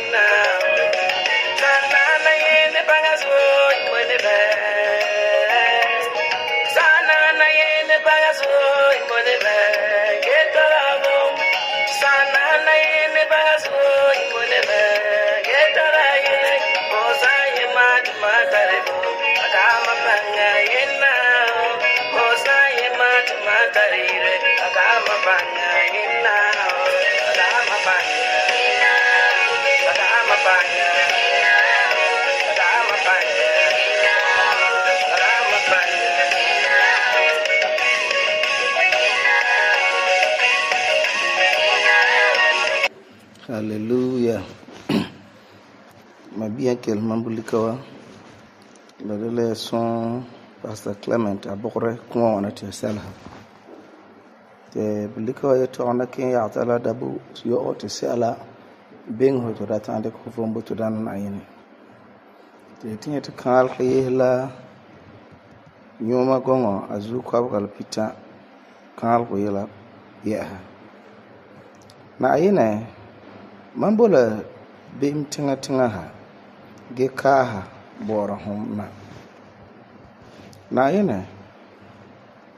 yena sana na yene bagazo imone be sana na yene bagazo imone be getarabo sana na yene bagazo imone be getaraye osaye matmatarebo akama banga yena osaye matmatarire akama banga yena akama banga akama banga akama banga akama banga. Hallelujah. Mabia kel mambulikawa. Lele son Pastor Clement abokre kuma wana te selha. Te bulikawa yeto ona ken ya tala dabu yo te sela beng ho to datande ko fombo to dan na yini. Te tinye te kal khayela nyoma gongo azu kwabgal pita kal ko yela ya. Na yine mambola bim tinga ha ge kaha bora hom na yene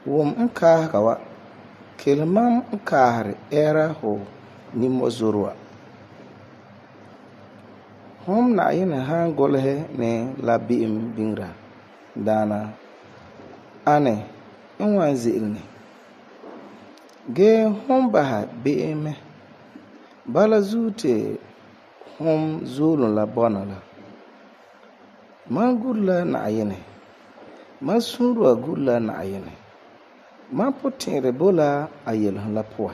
wom nka kawa kelmam nkahare era ho ni mozurwa hom na yene han golhe ne la bim bingra dana ane nwan zilni ge hom baha bim bala zute hom zulun la bona la man gulla na yene man sunruwa gulla na yene man putinre bola ayel la poa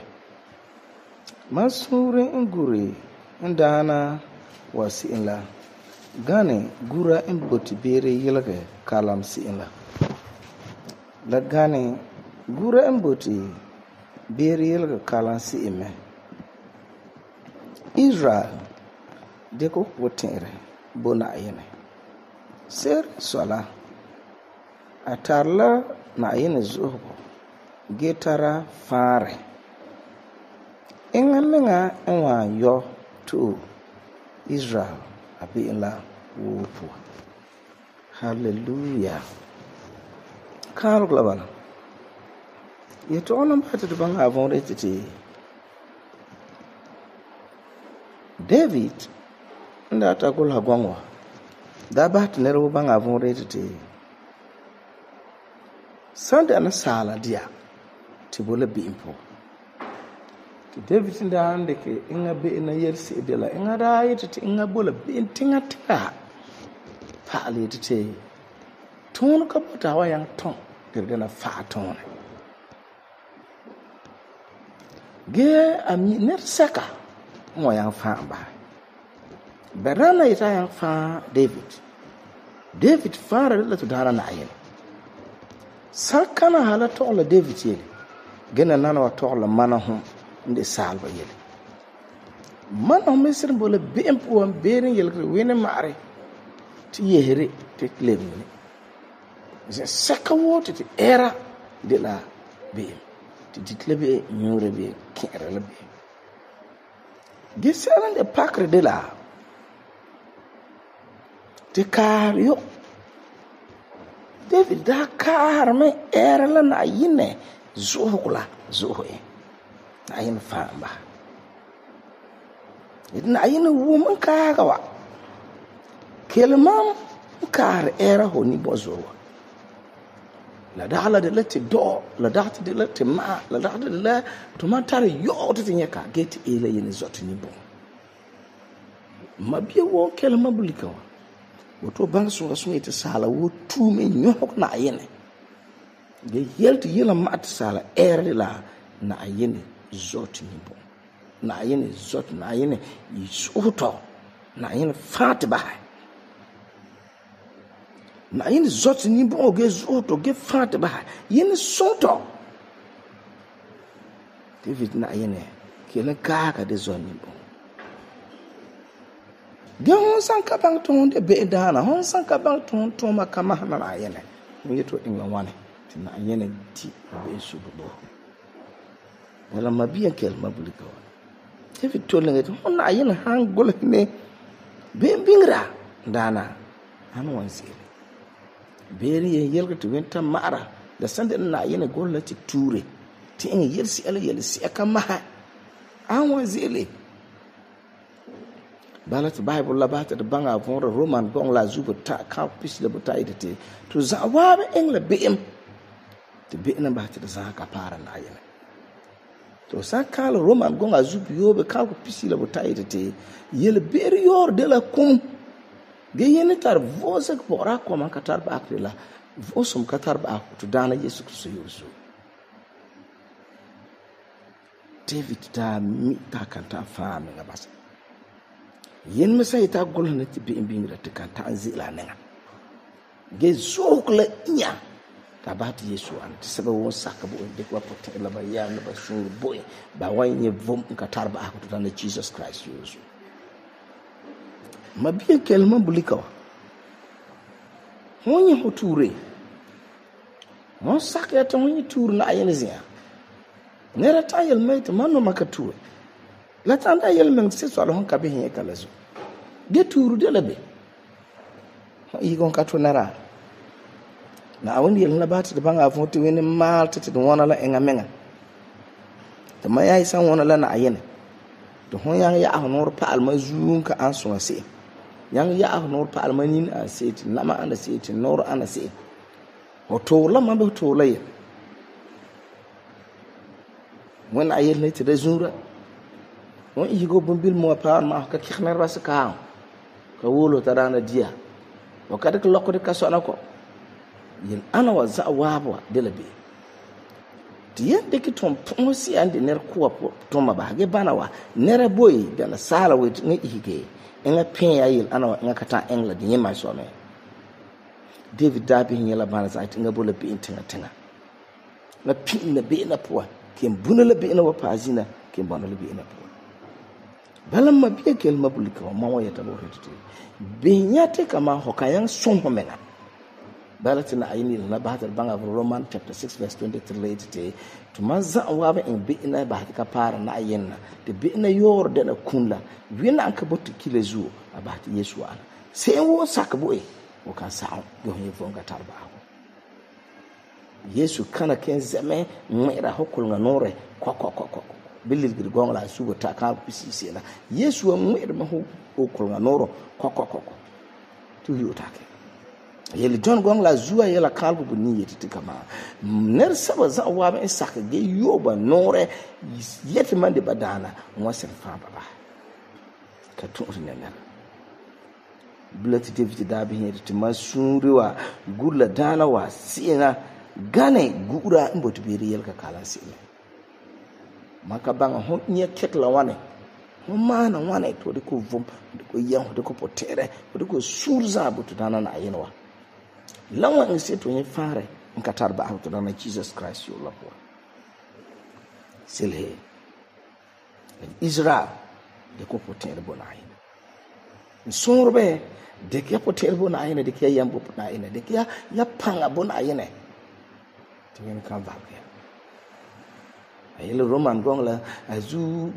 man sunre nguri ndana wasi la gane gura mboti bere yelge kalam si la gane gura mboti bere yelge kalam si ime Israel de ko putinre bona yene ser sola atarla na yene zuho getara fare engamenga enwa yo to Israel abi la wupu. Hallelujah. Kar global yeto onam hata de banga avon retiti David nda ta gol hagwangwa da ba ta nero banga avon retiti sanda ana sala dia tibola bi impo ki David nda hande ke inga be na yersi de la inga da yiti inga bola bi tinga tinga pa ali tete ton ka bota wa yang ton gergana fa ton ge ami net saka mo yang fa ba berana ita yang fa David fara la to dara na ayen sakana hala to la David yele gena nana wa to la manahum nde salba yele manahum mesir bola be empo am berin yele wene mare ti yehere te klebni je saka wote ti era de la be ti ditlebe nyure be kere la be gisaran de pakre de la te kar yo David da kar me era la na yine zuhula zuhe na yin famba na yin woman ka gawa kelmam kar era ho ni bozo la dala de lati do la data de lati ma la data de la to matare yo to tinyaka get ele yin zoti ni bon mabie wo kelma bulika woto bang so ite sala wo tu me nyok na yene ge yelti yela mat sala erle la na yene zoti ni bon na yene zoti na yene yisuto na yene fatba na yene zoti ni bon ge zoto ge fatba yene soto David na yene kele kaka de zoni bon de hon san ka bang ton de be dana hon san ka bang ton makama na yene mu yeto inga wane na yene ti be subudo wala mabiya kel mabulika David tolenga hon na yene hang gol ne be'em bingra daana an wan ze'ele beere yelga te wenta ma'ara la sande na yene golla ti ture ti en yelsi ala yelsi aka maha an wan ze'ele bala ti Bible la ba ta de banga von Roman gong la zuba ta kan pis la buta ite to za waabe en la be'em te be'em ba ta de za ka para na yene to sa kala Roman gong a zubi yobe kan ko pis la buta ite yele beere yor de la kum ge yene tar vosa ko ra ko man ka tar ba akrila vosum ka tar ba to dana Yesu Kristo yosu David ta mi ta kan ta faame nga basa yen me sai ta golna ti bi bingra te kan ta anzila nenga ge zokla nya ka ba ti Yesu an ti sebe won saka bo de ko pote la ba ya na ba shur boy ba wanye vom ka tar ba to dana Jesus Christ yosu ma bien kelma bulika honye hoture mon sakya ta honye tur na ayene zia nera ta yel mai ta manno makatu la ta da yel men se so alhon ka be hin kala zo ge turu de la be yi gon ka to nara na awon yel na ba ta da banga fon ti wen mal ta ti wona la enga menga ta ma yayi san wona la na ayene to hon yang ya honor pa alma zuun ka an so se yang ya honor pa alma nin a se ti na ma anda se ti nor ana se o to la ma be to la ye when ayel ne ti da zura won yigo bumbil mo pa ma ka kikhnar ras ka wolo tarana dia o kada ko lokko de kaso na ko yin ana wa za wabwa de labe tiye de ki tom ponsi ande ner ko to ma ba ge bana wa nera boy de na sala we ngi hige en pen ayel ana wa ngakata engla de yema so me David dabi nyela bana za tinga bola bi intinga tinga na pin na be na po ken bunala be na wa pazina ken banala be na po balam ma biya kel mabulika wa mawa ya tabo retete benyate kama hokayan sompo mena balatina ayini na bahar banga Roman chapter 6 verse 23 retete to manza wa ba in be na bahar ka para na ayenna de be na yor de na kunla wina an ka botu kile zuo abati Yesu ana sai wo sakabo e o kan sa go he vonga tarba Yesu kana ken zame mwera hokul nga nore ko bilil gir gong la sugo ta ka pisisi na Yesu mwera ma hokul nga noro ko tu yu take yeli John gong la zuwa yela kalbu bu ni yeti kama ner saba za wa ba saka ge yoba nore yeti mande badana ngwasen fa baba ka tu ne ner bulati David da bi yeti masuriwa gulla dana wa sina gane gura mbotu biri yelka kala sile maka banga hon nye ketla wane hon mana wane to de ko vom de ko yan de ko potere de ko surza butu dana na ayinwa lawa nse to nye fare nkatar ba to dana Jesus Christ yo lapo silhe Israel de ko potere bona ayina nsorbe de ke potere bona ayina de ke yambo bona ayina de ke ya panga bona ayina wen kan valke ayele Roman gong la azu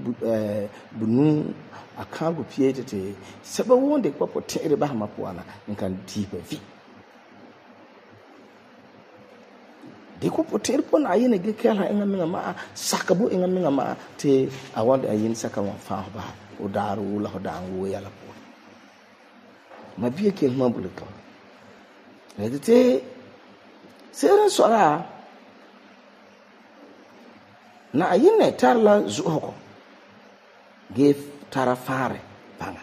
bunu akango piete te seba wonde kwa potere ba ma poana nkan dipe vi de ko potere pon ayene ge kala enga minga ma sakabo enga minga ma te awande ayin saka wa fa ba o daru la hodango yala po ma biye kel mabulika edite sera sora na ayine tarla zuhoko ge tara fare banga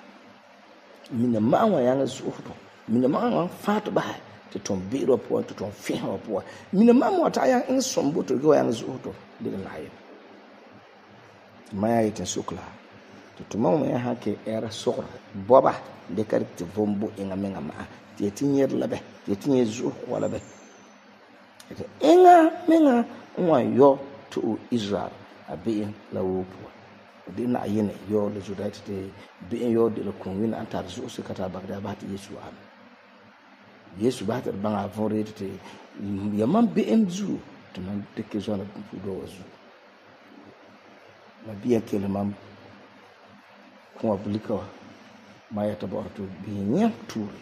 mina mawa yanga zuhoko mina mawa fatu ba te ton biro po to ton fiho po mina mawa ta yang in sombo to go yanga zuhoko de na ayi maya ite sukla to mawa ya hake era sokra boba de karti vombo inga menga ma te tinyer labe te tinyer zuhoko wala be inga menga wa yo to Israel a being la wopo de na ayene yo le judite de being yo de la kunwin antar zo se kata bagda ba Yesu ba ta banga vorete te yaman being zu to man de ke zona do wazu ma biya kele mam ko abulika ma yɛta bɔ'ɔra to bihi nyɛ tuure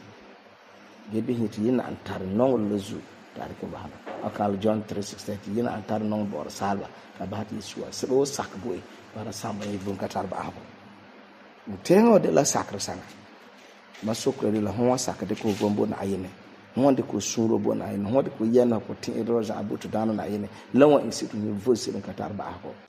ge bihi ti yina an tar nɔŋɔ la zu tare ko bahana akal John 3:16 ti yina an tar nɔŋɔ bɔ'ɔra salba ka bahati Yesua sebe o sak bo para samba yi bun ka tar ba'ago teŋo de la sakre sanga ma sokre de la hon sak de ko bombo na ayene hon de ko suro bo na ayene hon de ko yena ko ti'iro za abutu dano na ayene lawa in situ ni vosi ka tar ba'ago